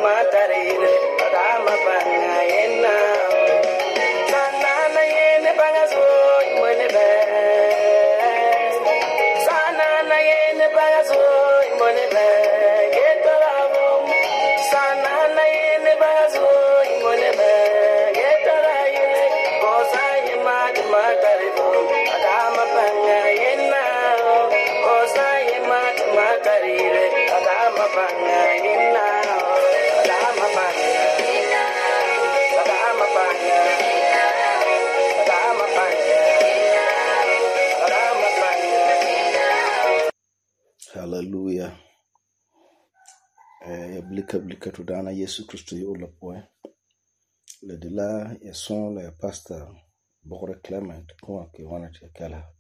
matarire adama banga yenna sanana yene banga so imone be sanana yene banga so imone be getaramo sanana yene banga so imone be getara yene kosa yema matarire adama banga yenna kosa yema matarire adama banga yenna Hallelujah. Ya blika to dana Yesu Kristo yi ola poe. Le de la ya son la ya pastor Bogre Clement kwa ke wana te kala.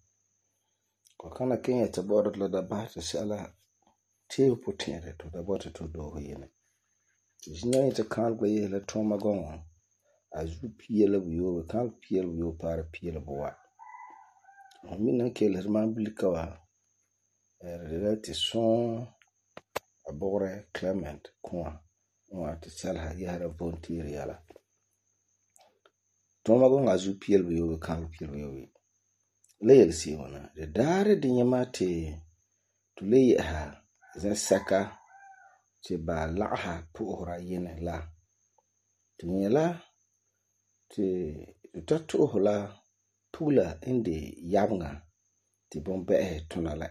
Kwa kana Kenya te bodo la da ba te sala te potere to da bote to do yene. Jina te kan gbe ye le toma gon. Azu piela wiyo kan piela wiyo para piela boa. Mina ke le man blika wa relate son Bogre Clement kwa te sala ya volunteer yala. Toma gon azu piela wiyo kan piela wiyo. Leyel si wana de dare de nyamate to leye ha zan saka te ba la'ha puhra yene la to nyela te tatu hola pula inde yabnga te bombe tuna la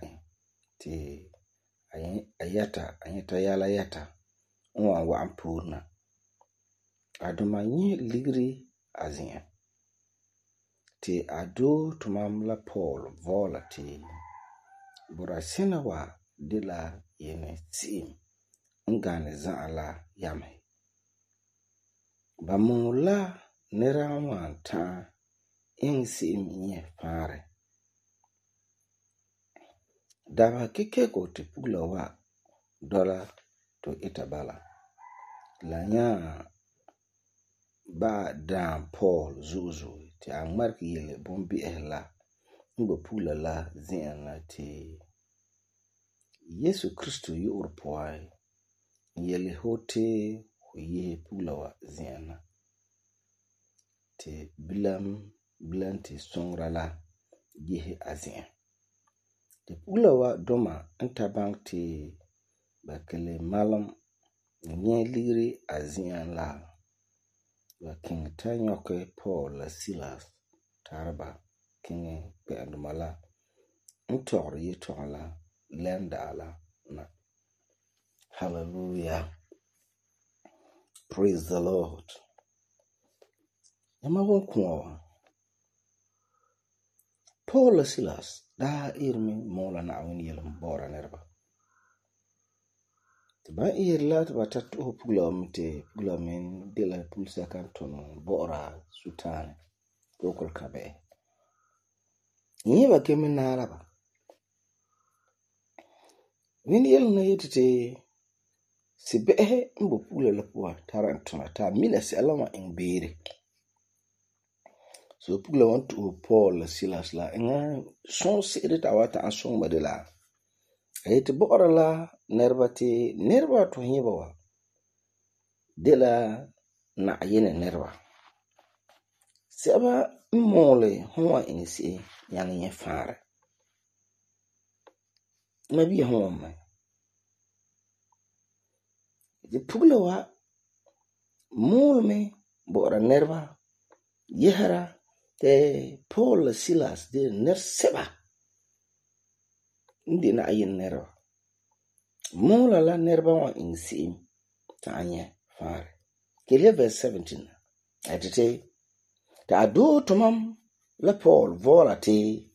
te ayata yala yata nwa wa ampurna aduma nyi ligri azin te ado tumam la Paul vola te burasena wa de la yene sim ngane zan la yame ba mula nera wanta in sim nye fare daba keke ko te pula wa dola to itabala la nya ba dan Paul zuzu te angmarki yele bombi ehla ngbo pula la zina te Yesu Kristo yi urpoai yele hote ye pula wa zina te bilam te songra la yehe azin te pula wa doma antabang te bakele malam nye liri azin la wa king tanyoke Paul la Silas tarba king pe andumala ntogri yitogla lenda la na. Hallelujah. Praise the Lord. Yama wonkuwa Paul la Silas da irmi mola na awin yelam bora nerba ba irla ta batatu pula mte pula men de la pulsa kanton bora sultan kokol kabe yiba kemin na araba win yel na yetete si behe mbo pula la puwa tarantona ta mina si alama in bere so pula wantu Paul la Silas la nga son sere ta wata an son badela ayete bora la nerba to hiba wa de la na yene nerba seba mole huwa inisi yang ye fare nabi huwa ma de pula wa mole me bora nerba yehara te Paul Silas de ner seba ndi na ayin nerba mola la nerba wa insi ta anye fare kele verse 17 atete ta ado tumam la Paul vola te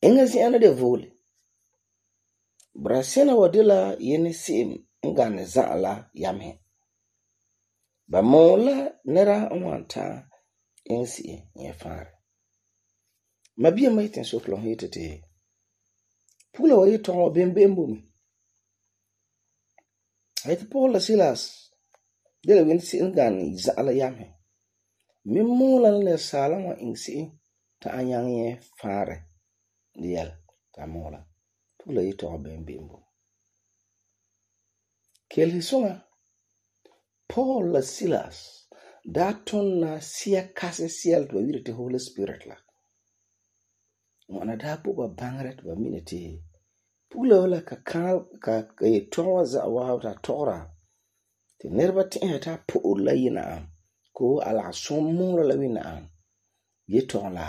engasi ana de vole brasena wadila yene sim ngane zala yame ba mola nera wanta ensi ye fare mabia maiten so klon hitete pula wa yiton bembembo mi ayte Paul la Silas de la win sin ngane zala yame mi mola le salama insi ta anyang ye fare dial ta mola pula yiton bembembo kel hisunga Paul la Silas daa tonna sia kase sial to ba wirete Holy Spirit la. Wana daa bo ba bangare to ba mina te pugla wala ka ye towa za wa ta tora te nerba ti'e ta po'or la yina am ko ala som mura la wina am ye ton la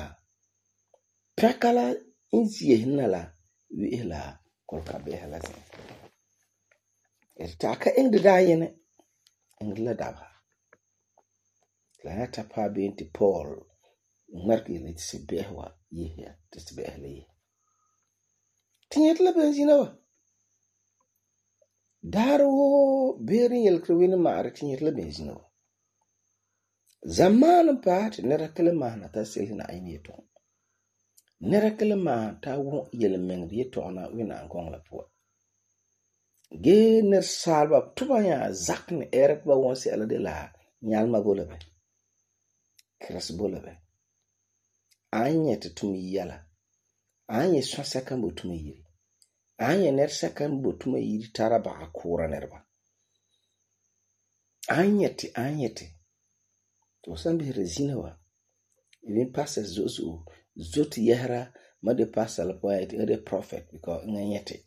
pakala inzie hinna la wi la kol ka be hala sin ta ka ing da yene ing la daba la ta pa be ti Paul marki le se behwa ye ya te se behle ye tinyet la benzina wa daro berin yel krewin maare tinyet la benzina wa zaman pa te nera kele mahna ta selina ayni to nera kele ma ta wo yel meng ye to na wina ngong la po ge ner salba tuba ya zakne eret ba won se ala de la nyalma bolabe kras bolabe anye te tumi yala anye swasa kan bo tumi yiri anye ner sakan bo tumi yiri tara ba akura nerba anye te to sambi rezina wa even pastor zotu yahra ma de pastor la poet de prophet because nganyete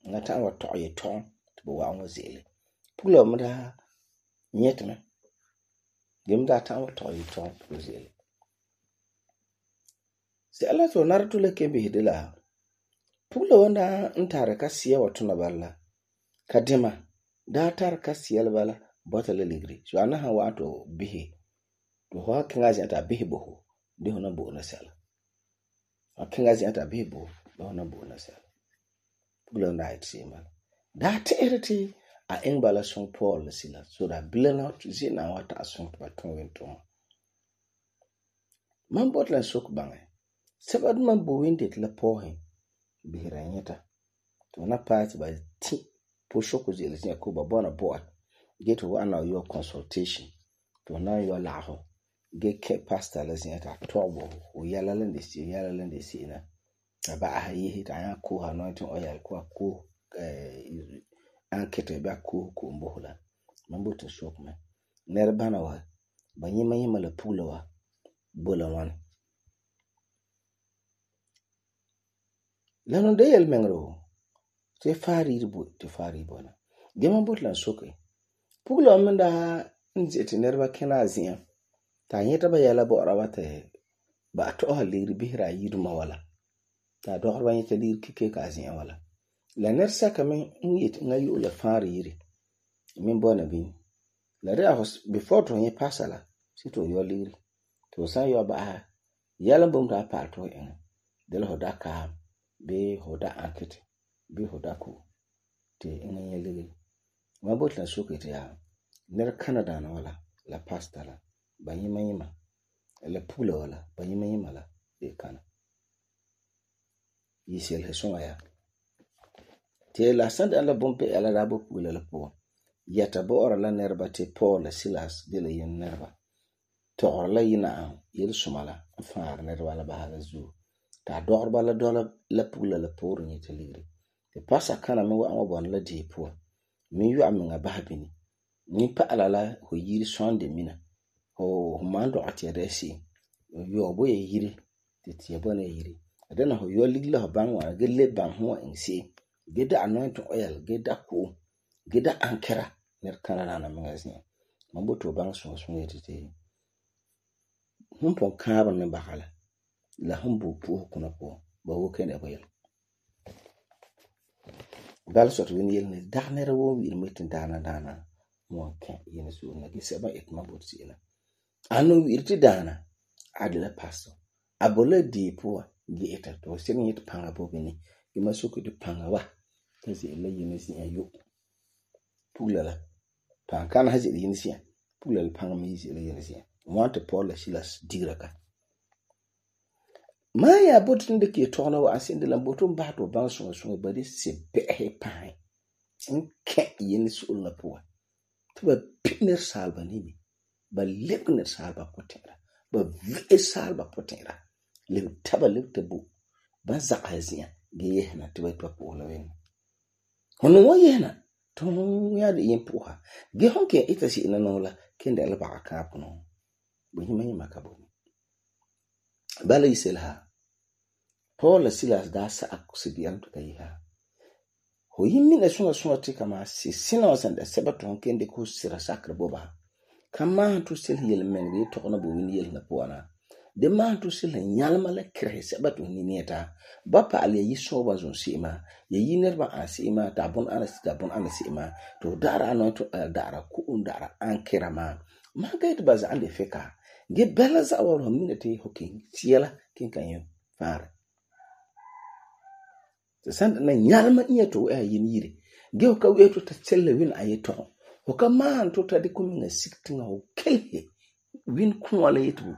ngata wa to ye ton to wa ngo zele pulo mda nyetme gemda ta wa to ye ton to zele se ala to narto le kembe hidela pulo wanda ntare ka siya watuna balla kadima da tar ka siya bala bota le ligri so ana ha wato bihi to ho kingazi ata bihi boho de hona bo na sala akingazi ata bihi bo do hona bo na sala pulo na itsima da tereti a engbala son Paul sila so da bilana to zina wata asun pa ton wento man botlan sok bangai sabad man bo winde la pohin bihiranyeta to na part by ti po shoko zele nya ko ba bona board get one of your consultation to na your laho get ke pastor la znya ta tobo o yala lende si na ba ha yi hita ya ko ha no tin oil ko ankete ba ko mbohla mambo to shok man ner bana wa banyima la pula wa bola wan lanon de yel mengro te fari bona gema botlan soke puglo menda nzeti nerba kena azia ta nyeta ba yala bo rawate ba to halir bihra yiduma wala ta do harba nyeta lir kike ka azia wala la nersa kamen nyet ngayu la fari yiri min bona bin la re hos before to nye pasala sito yo lir to san yo ba yala bum ta pa to en del hoda ka be hoda akete be hoda ko te nganye lele ma botla sokete ya ner Canada na wala la pasta la banyima la pula wala banyima la e kana yisel hesonga ya te la sand ala bompe ala rabo pula la po yata bo ora la nerba te Paul la Silas de la yen nerba to ora la yina yel sumala faar nerba la bahala zu ta dorba la dola la pula la por ni te ligri te pasa kana me wa bon la di po mi yu amenga bahabini ni pa alala ho yiri sonde mina ho mando atieresi yo bo ye yiri te tie bona yiri adana ho yo ligla ho banwa gele ban ho ensi geda anointing oil geda ankara ner kana na magazine mambo to bang so yete humpon kaaba me bakala la humbu pu kuna po ba wo kene bayel dal sot win yel ne darnere wo wir metin dana mo kan yin su na gise ba ekma bot sila anu wirti dana adla pasto abola di po gi eta to sin yit panga bo bini ima suku di panga wa kasi le yin si ayo pulala pan kan haji yin si pulal panga mi si le yin si want Paul la Silas diraka Maya botin de ke tona wa asin de lambotum ba to ban so ba de se behe pai nke yin sul na po to ba piner salba ni ba lebner salba potera ba vi salba potera le taba le tabu ba za azia ge yehna to ba po la wen hono wo yehna ton ya de yin puha ge hon ke ita si ina no la ken de la ba ka puno bo yima yima ka bo bala yiselha Paul la Silas da sa aksibiyan to kai ha ho yimmi na sunga ti kama si sina san da seba ton ken de ko sira sakra boba kama to sil yel men ge to na bo win yel na puana de ma to sil nyalma la kre seba to ni neta ba pa ale yi so ba zon sima ye yiner ba asima ta bon ana sima to dara no to dara ku dara an kirama ma ga it baza ande feka ge bela za wa ho minute hokin siela kin kan yo fare te san na nyalma iya to yin yire ge ka we to ta selle win ayeto ho ka man to ta de kuminga siktinga ho kelhe win kunwala yetu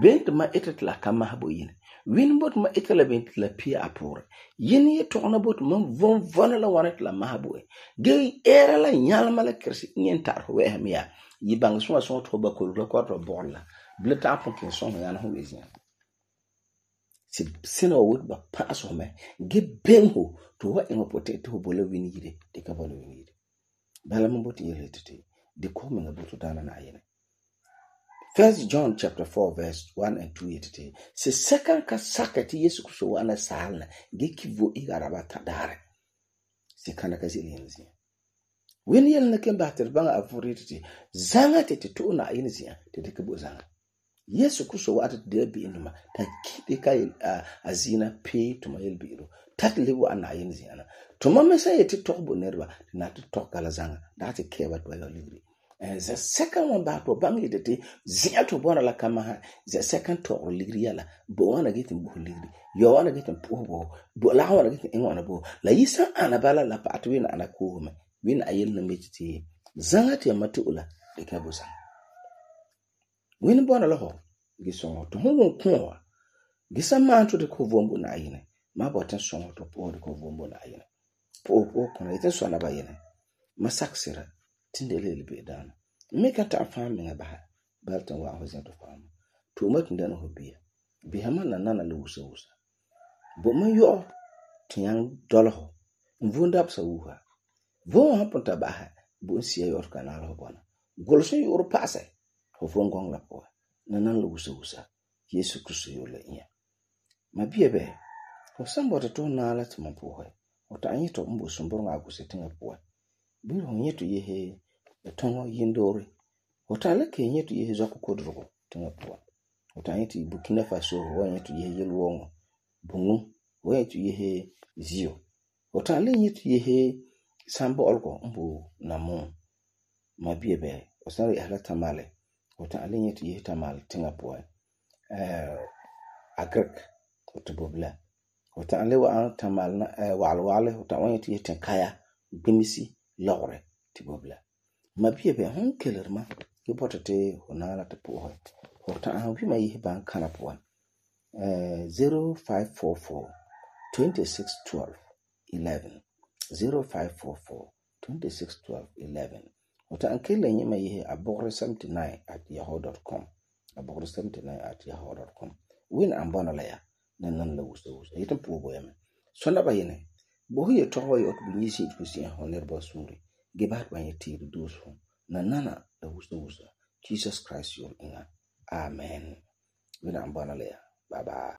bent ma etat la kama habo yin win bot ma etala bent la pia apore yin ye to na bot ma von la wanet la mahabo ge era la nyalma la kersi nyen tar ho we hamia yi bang so to ba ko la ko to bolla bleta pon kin so yana ho wezia si sina wo ba paso me ge benho to wa en potato ho bola win yire de ka bola win yire bala mo bot yele tete de ko me ngabuto dana na ayene 1 John chapter 4 verse 1 and 2 yetete se second ka sakati Yesu Kristo wana salna ge kivo igaraba tadare se kana ka zilenzi wen yel na ken bater banga afuritete zanga tete to na ayene zia tete ke bo zanga Yesu Kristo wa de bi induma ta kide kai azina pe to mayel biro tat lewo ana ayene zia na to mama say yete tokbo nerba na to tokala zanga that ke what wa libri. The second one back to bang it zia to bona la kama the second to ligriala bo wana getting bo ligri yo wana getting po bo la wana getting wana bo la yisa anabala la patwin ana ko me win ayel na metiti zanga te matula de kabusa win bona la ho gisongo to ho ko gisa man to de ko vombo na ayine ma botan songo to po de ko vombo na ayine po ko na ite so na bayine masaksira tindele libe dana meka ta fami ngabaha baltan wa ho zato fami to makin dana ho biya man nana le wusa bo man yo tiyan dolho mvunda psa wuha bo ha ponta baha bo siya yor kanal ho bona golso yor pase ho fongong la po nana le wusa Yesu Kristo yo le iya ma biya be ho sambo to na la tuma po ho o ta anyi to mbo sumboro nga kusetinga po bi ho nyeto ye he tongo yindore otale ke nyetu ye zako kodrogo tinga po otanyeti Burkina Faso wanyetu ye yelwongo bunu wanyetu ye zio otale nyetu ye sambo olko mbu namo mabiebe osari ala tamale otale nyetu ye tamale tinga po agrek otobobla otale wa tamal na walwale otanyetu ye tenkaya bimisi lawre tibobla mabiebe hon kelerma ke potate honala te po hota an wi mai ban kana po 0544 2612 11 0544 2612 11 hota an kele nyi mai abogre 79@yahoo.com abogre 79@yahoo.com win ambana la ya nan la wuso yitan po boyame sona bayene bo hiye to hoyo to bi nyisi to si honer ba suri gebat ba yeti dosu nana da wuso Jesus Christ your inga amen wina ambana le bye bye